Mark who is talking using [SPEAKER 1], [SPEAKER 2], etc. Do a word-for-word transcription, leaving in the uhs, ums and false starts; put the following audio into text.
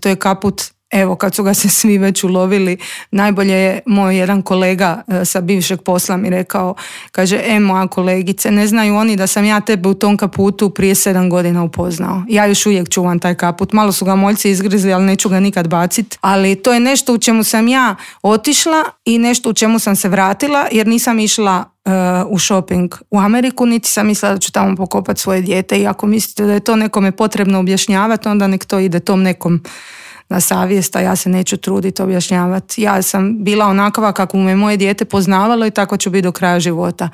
[SPEAKER 1] To je kaput, evo kad su ga se svi već ulovili, najbolje je moj jedan kolega sa bivšeg posla mi rekao, kaže, e moja kolegice, ne znaju oni da sam ja tebe u tom kaputu prije sedam godina upoznao. Ja još uvijek čuvam taj kaput. Malo su ga moljci izgrizli, ali neću ga nikad baciti. Ali to je nešto u čemu sam ja otišla i nešto u čemu sam se vratila, jer nisam išla uh, u shopping u Ameriku, niti sam mislila da ću tamo pokopati svoje dijete. I ako mislite da je to nekome potrebno objašnjavati, onda nek to ide tom nekom na savjest, a ja se neću truditi objašnjavati. Ja sam bila onakva kako me moje dijete poznavalo i tako ću biti do kraja života.